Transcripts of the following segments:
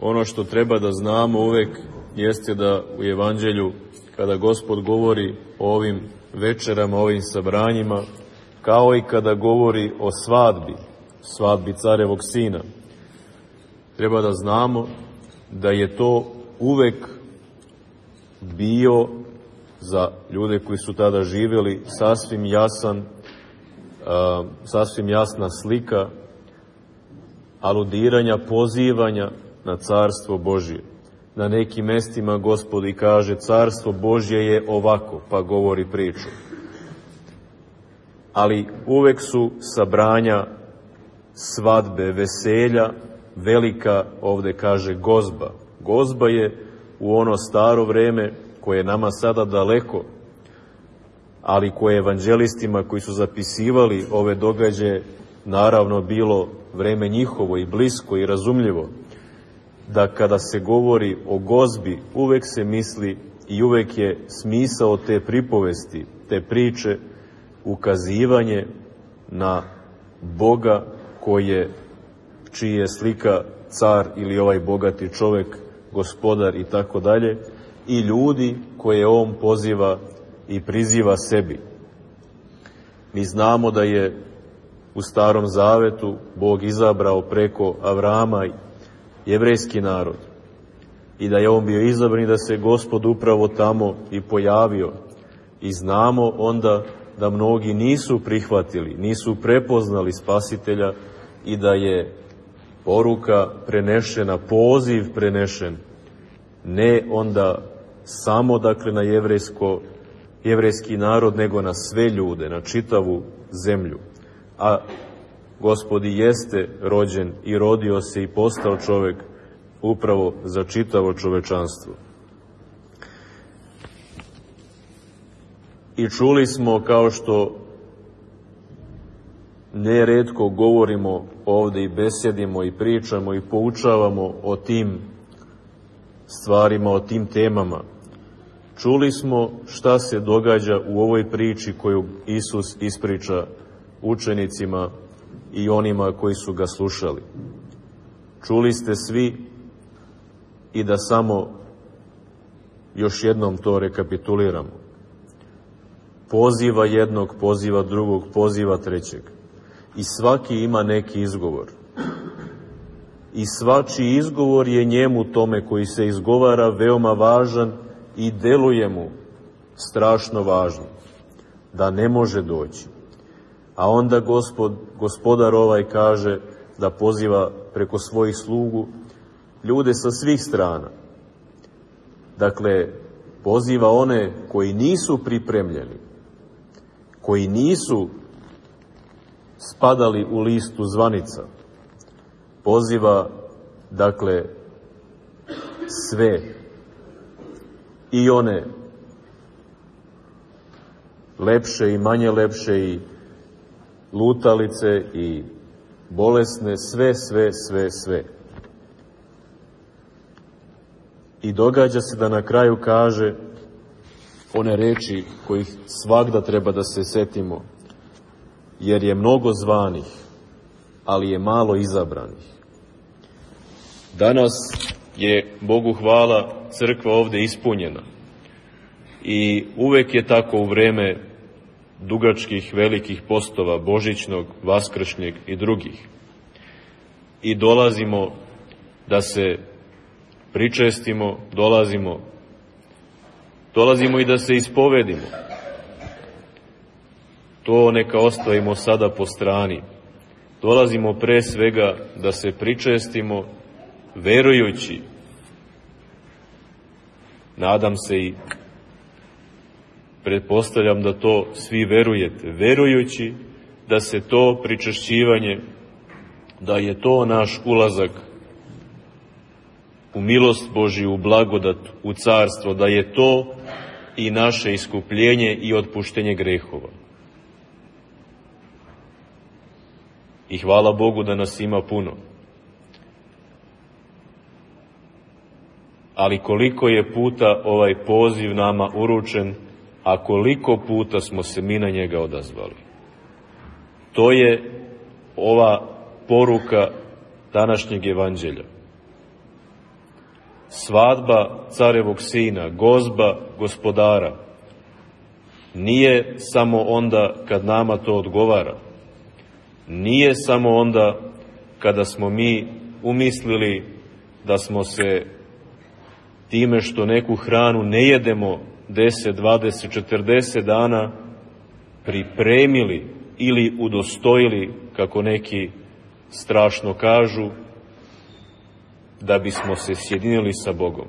Ono što treba da znamo uvek jeste da u Evanđelju, kada Gospod govori o ovim večerama, o ovim sabranjima, kao i kada govori o svadbi carevog sina, treba da znamo da je to uvek bio za ljude koji su tada živjeli sasvim jasna slika aludiranja, pozivanja na Carstvo Božje. Na nekim mestima Gospod i kaže Carstvo Božje je ovako, pa govori priču. Ali uvek su sabranja, svadbe, veselja, velika, ovde kaže, gozba. Gozba je u ono staro vreme koje je nama sada daleko, ali koje je evanđelistima koji su zapisivali ove događaje naravno bilo vreme njihovo i blisko i razumljivo, da kada se govori o gozbi uvek se misli i uvek je smisao te pripovesti, te priče, ukazivanje na Boga čiji je slika car ili ovaj bogati čovek, gospodar i tako dalje, i ljudi koje on poziva i priziva sebi. Mi znamo da je u Starom Zavetu Bog izabrao preko Avrama jevrejski narod i da je on bio izabran i da se Gospod upravo tamo i pojavio. I znamo onda da mnogi nisu prihvatili, nisu prepoznali Spasitelja i da je poruka prenešena, poziv prenešen, ne onda samo dakle na jevrejski narod, nego na sve ljude, na čitavu zemlju. A Gospod i jeste rođen i rodio se i postao čovek upravo za čitavo čovečanstvo. I čuli smo, kao što neretko govorimo ovde i besedimo i pričamo i poučavamo o tim stvarima, o tim temama, čuli smo šta se događa u ovoj priči koju Isus ispriča učenicima i onima koji su ga slušali. Čuli ste svi i da samo još jednom to rekapituliramo. Poziva jednog, poziva drugog, poziva trećeg. I svaki ima neki izgovor. I svačiji izgovor je njemu tome koji se izgovara veoma važan i deluje mu strašno važno, da ne može doći. A onda gospodar ovaj kaže da poziva preko svojih slugu ljude sa svih strana. Dakle, poziva one koji nisu pripremljeni, koji nisu spadali u listu zvanica. Poziva, dakle, sve, i one lepše i manje lepše, i lutalice, i bolesne, sve. I događa se da na kraju kaže one reči kojih svagda treba da se setimo, jer je mnogo zvanih, ali je malo izabranih. Danas je, Bogu hvala, crkva ovde ispunjena i uvek je tako u vreme dugačkih, velikih postova, božićnog, vaskršnjeg i drugih. I dolazimo da se pričestimo, dolazimo i da se ispovedimo. To neka ostavimo sada po strani. Dolazimo pre svega da se pričestimo, verujući, nadam se i pretpostavljam da to svi verujete, verujući da se to pričešćivanje, da je to naš ulazak u milost Božiju, u blagodat, u carstvo, da je to i naše iskupljenje i otpuštenje grehova. I hvala Bogu da nas ima puno. Ali koliko je puta ovaj poziv nama uručen, a koliko puta smo se mi na njega odazvali. To je ova poruka današnjeg evanđelja. svadba carevog sina, gozba gospodara, nije samo onda kad nama to odgovara. Nije samo onda kada smo mi umislili da smo se time što neku hranu ne jedemo 10, 20, 40 dana pripremili ili udostojili, kako neki strašno kažu, da bismo se sjedinili sa Bogom.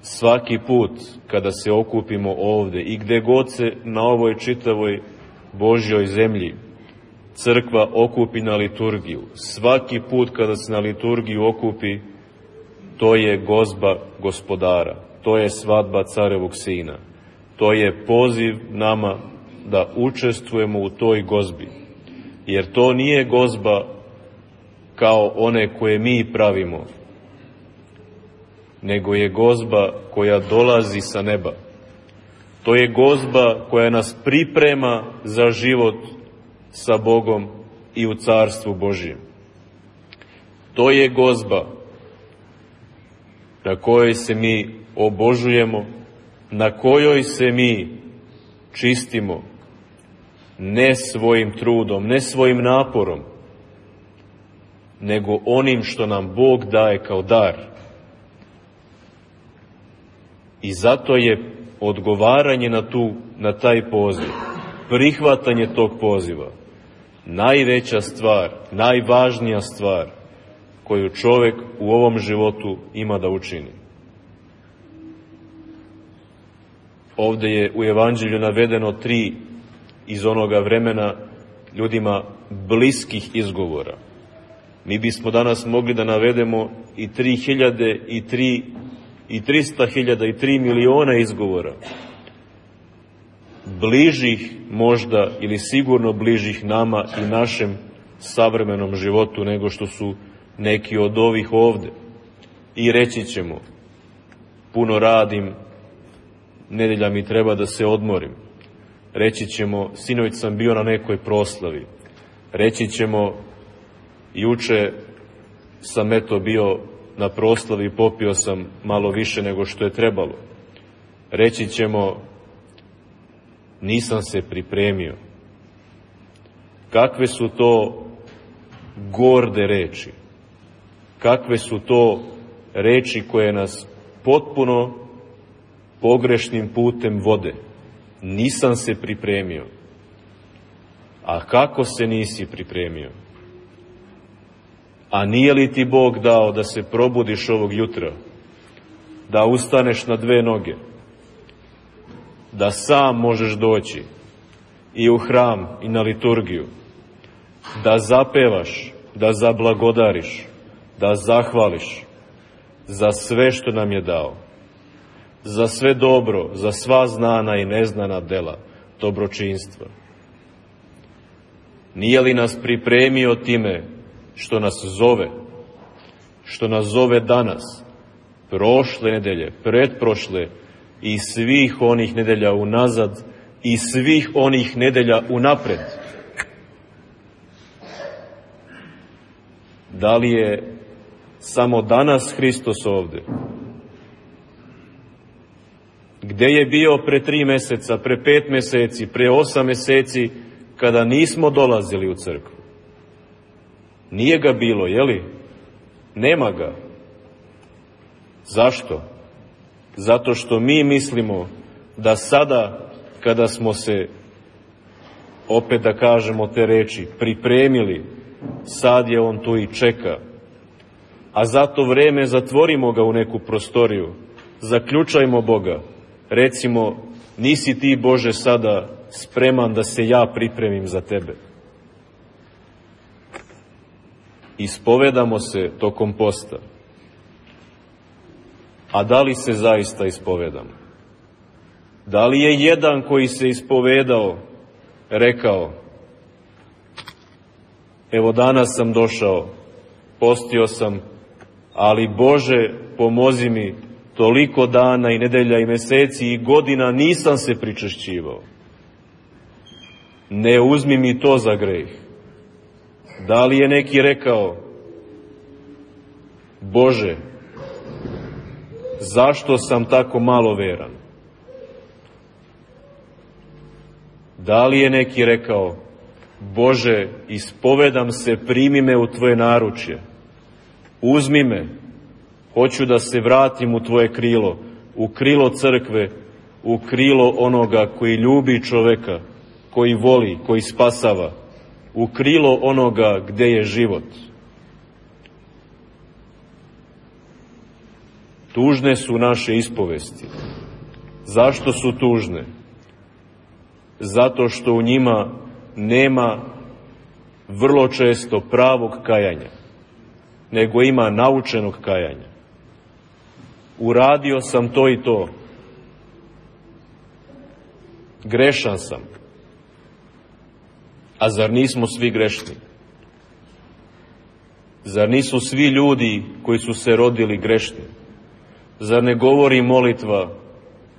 Svaki put kada se okupimo ovde i gde god se na ovoj čitavoj Božjoj zemlji crkva okupi na liturgiju, svaki put kada se na liturgiju okupi, to je gozba gospodara, to je svadba carevog sina, to je poziv nama da učestvujemo u toj gozbi, jer to nije gozba kao one koje mi pravimo, nego je gozba koja dolazi sa neba. To je gozba koja nas priprema za život sa Bogom i u Carstvu Božjem. To je gozba na kojoj se mi obožujemo, na kojoj se mi čistimo, ne svojim trudom, ne svojim naporom, nego onim što nam Bog daje kao dar. I zato je odgovaranje na taj poziv, prihvatanje tog poziva, najveća stvar, najvažnija stvar koju čovek u ovom životu ima da učini. Ovde je u Evanđelju navedeno 3 iz onoga vremena ljudima bliskih izgovora. Mi bismo danas mogli da navedemo i 3.000 i 300.000 i 3 miliona izgovora. Bližih možda ili sigurno bližih nama i našem savremenom životu nego što su neki od ovih ovde. I reći ćemo, puno radim, nedelja mi treba da se odmorim. Reći ćemo, sinoć sam bio na nekoj proslavi. Reći ćemo, juče sam bio na proslavi i popio sam malo više nego što je trebalo. Reći ćemo, nisam se pripremio. Kakve su to gorde reči? Kakve su to reči koje nas potpuno pogrešnim putem vode? Nisam se pripremio. A kako se nisi pripremio? A nije li ti Bog dao da se probudiš ovog jutra, da ustaneš na 2 noge, da sam možeš doći i u hram i na liturgiju, da zapevaš, da zablagodariš, da zahvališ za sve što nam je dao, za sve dobro, za sva znana i neznana dela dobročinstva? Nije li nas pripremio time što nas zove danas, prošle nedelje, pretprošle i svih onih nedelja unazad i svih onih nedelja unapred? Da li je samo danas Hristos ovde? Gde je bio pre 3 meseca, pre 5 meseci, pre 8 meseci, kada nismo dolazili u crkvu? Nije ga bilo, jeli? Nema ga. Zašto? Zato što mi mislimo da sada, kada smo se, opet da kažemo te reči, pripremili, sad je on tu i čeka. A za to vreme zatvorimo ga u neku prostoriju, zaključajmo Boga, recimo, nisi ti, Bože, sada spreman da se ja pripremim za tebe. Ispovedamo se tokom posta. A da li se zaista ispovedamo? Da li je jedan koji se ispovedao rekao, evo danas sam došao, postio sam, ali Bože pomozi mi, toliko dana i nedelja i meseci i godina nisam se pričešćivao. Ne uzmi mi to za greh. Da li je neki rekao, Bože, Zašto sam tako malo veran? Da li je neki rekao, Bože, ispovedam se, primi me u Tvoje naručje, uzmi me, hoću da se vratim u Tvoje krilo, u krilo crkve, u krilo onoga koji ljubi čoveka, koji voli, koji spasava, u krilo onoga gde je život. Tužne su naše ispovesti. Zašto su tužne? Zato što u njima nema vrlo često pravog kajanja, nego ima naučenog kajanja. Uradio sam to i to. Grešan sam. A zar nismo svi grešni? Zar nisu svi ljudi koji su se rodili grešni? Zar ne govori molitva,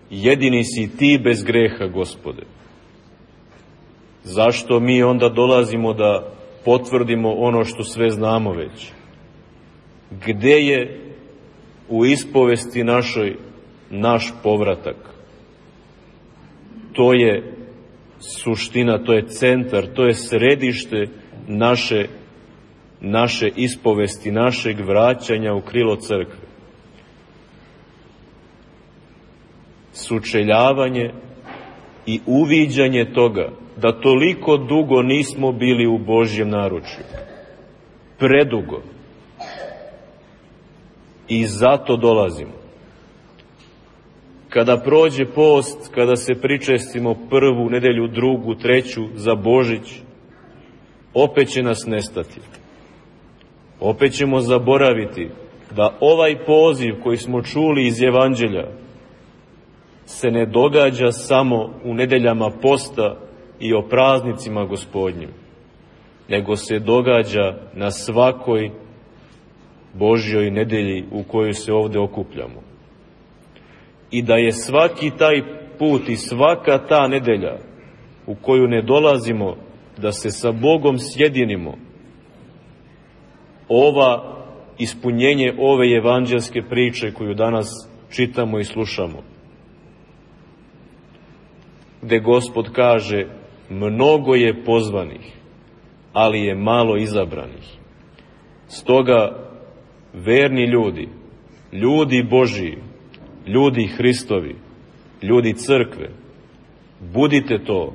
jedini si Ti bez greha, Gospode? Zašto mi onda dolazimo da potvrdimo ono što sve znamo već? Gde je u ispovesti našoj naš povratak? To je suština, to je centar, to je središte naše ispovesti, našeg vraćanja u krilo crkve. Sučeljavanje i uviđanje toga da toliko dugo nismo bili u Božjem naručju. Predugo. I zato dolazimo. Kada prođe post, kada se pričestimo prvu nedelju, drugu, treću za Božić, opet će nas nestati. Opet ćemo zaboraviti da ovaj poziv koji smo čuli iz Evanđelja se ne događa samo u nedeljama posta i o praznicima Gospodnjim, nego se događa na svakoj Božjoj nedelji u kojoj se ovde okupljamo. I da je svaki taj put i svaka ta nedelja u koju ne dolazimo da se sa Bogom sjedinimo, ispunjenje ove evanđelske priče koju danas čitamo i slušamo, gde Gospod kaže, mnogo je pozvanih, ali je malo izabranih. Stoga, verni ljudi, ljudi Božiji, ljudi Hristovi, ljudi crkve, budite to,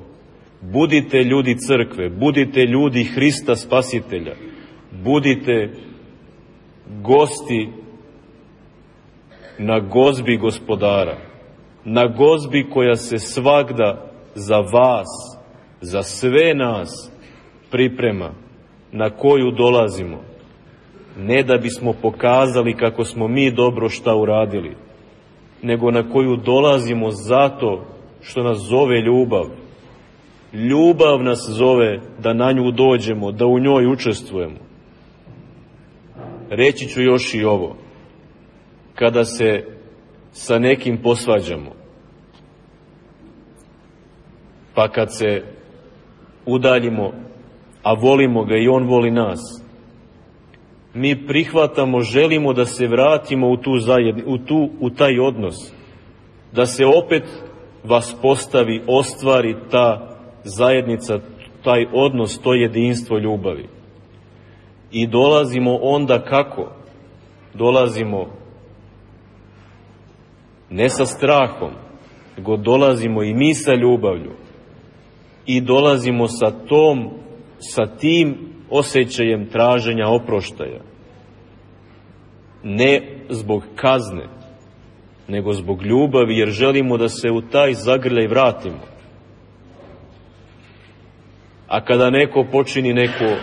budite ljudi crkve, budite ljudi Hrista Spasitelja, budite gosti na gozbi Gospodara, na gozbi koja se svagda za vas, za sve nas priprema, na koju dolazimo, ne da bismo pokazali kako smo mi dobro šta uradili, nego na koju dolazimo zato što nas zove ljubav. Ljubav nas zove da na nju dođemo, da u njoj učestvujemo. Reći ću još i ovo. Kada se sa nekim posvađamo, pa kad se udaljimo, a volimo ga i on voli nas, mi prihvatamo, želimo da se vratimo u taj odnos, da se opet vaspostavi, ostvari ta zajednica, taj odnos, to jedinstvo ljubavi. I dolazimo onda kako? Dolazimo ne sa strahom, nego dolazimo i mi sa ljubavlju. I dolazimo sa tim osjećajem traženja oproštaja. Ne zbog kazne, nego zbog ljubavi, jer želimo da se u taj zagrljaj vratimo. A kada neko počini neko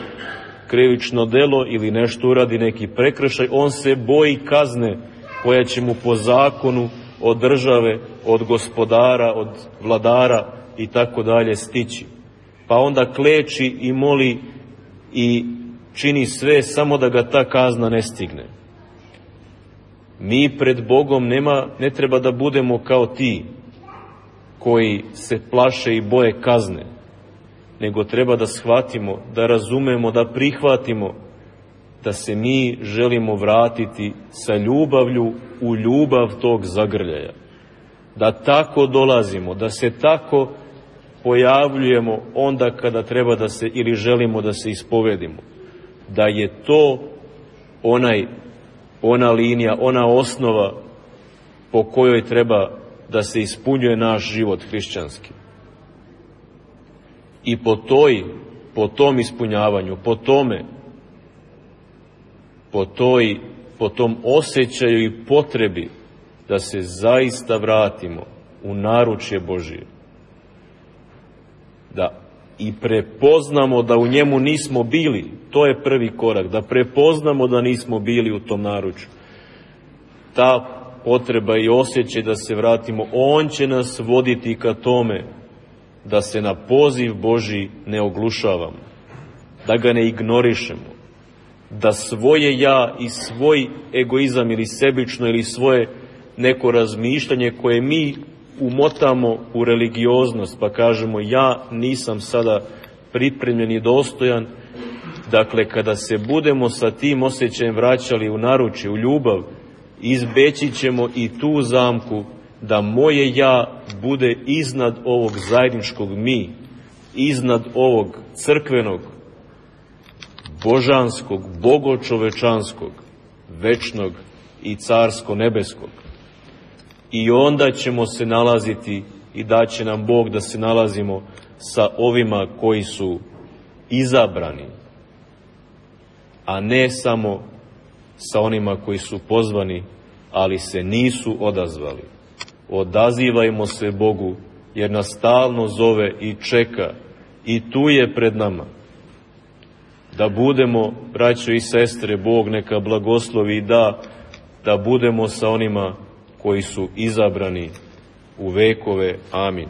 krivično delo ili nešto uradi, neki prekršaj, on se boji kazne koja će mu po zakonu od države, od gospodara, od vladara i tako dalje stići. Pa onda kleči i moli i čini sve samo da ga ta kazna ne stigne. Mi pred Bogom ne treba da budemo kao ti koji se plaše i boje kazne, nego treba da shvatimo, da razumemo, da prihvatimo da se mi želimo vratiti sa ljubavlju u ljubav tog zagrljaja. Da tako dolazimo, da se tako pojavljujemo onda kada treba da se, ili želimo da se ispovedimo. Da je to ona linija, ona osnova po kojoj treba da se ispunjuje naš život hrišćanski. I po tom ispunjavanju, po tom osjećaju i potrebi da se zaista vratimo u naručje Božije. Da i prepoznamo da u njemu nismo bili, to je prvi korak, da prepoznamo da nismo bili u tom naručju. Ta potreba i osjećaj da se vratimo, on će nas voditi ka tome da se na poziv Božji ne oglušavamo, da ga ne ignorišemo, da svoje ja i svoj egoizam ili sebično ili svoje neko razmišljanje koje mi umotamo u religioznost, pa kažemo ja nisam sada pripremljen i dostojan. Dakle, kada se budemo sa tim osjećajem vraćali u naručje, u ljubav, izbeći ćemo i tu zamku da moje ja bude iznad ovog zajedničkog mi, iznad ovog crkvenog, božanskog, bogočovečanskog, večnog i carsko-nebeskog. I onda ćemo se nalaziti i daće nam Bog da se nalazimo sa ovima koji su izabrani, a ne samo sa onima koji su pozvani, ali se nisu odazvali. Odazivajmo se Bogu, jer nas stalno zove i čeka i tu je pred nama. Da budemo, braćo i sestre, Bog neka blagoslovi i da budemo sa onima koji su izabrani u vekove. Amin.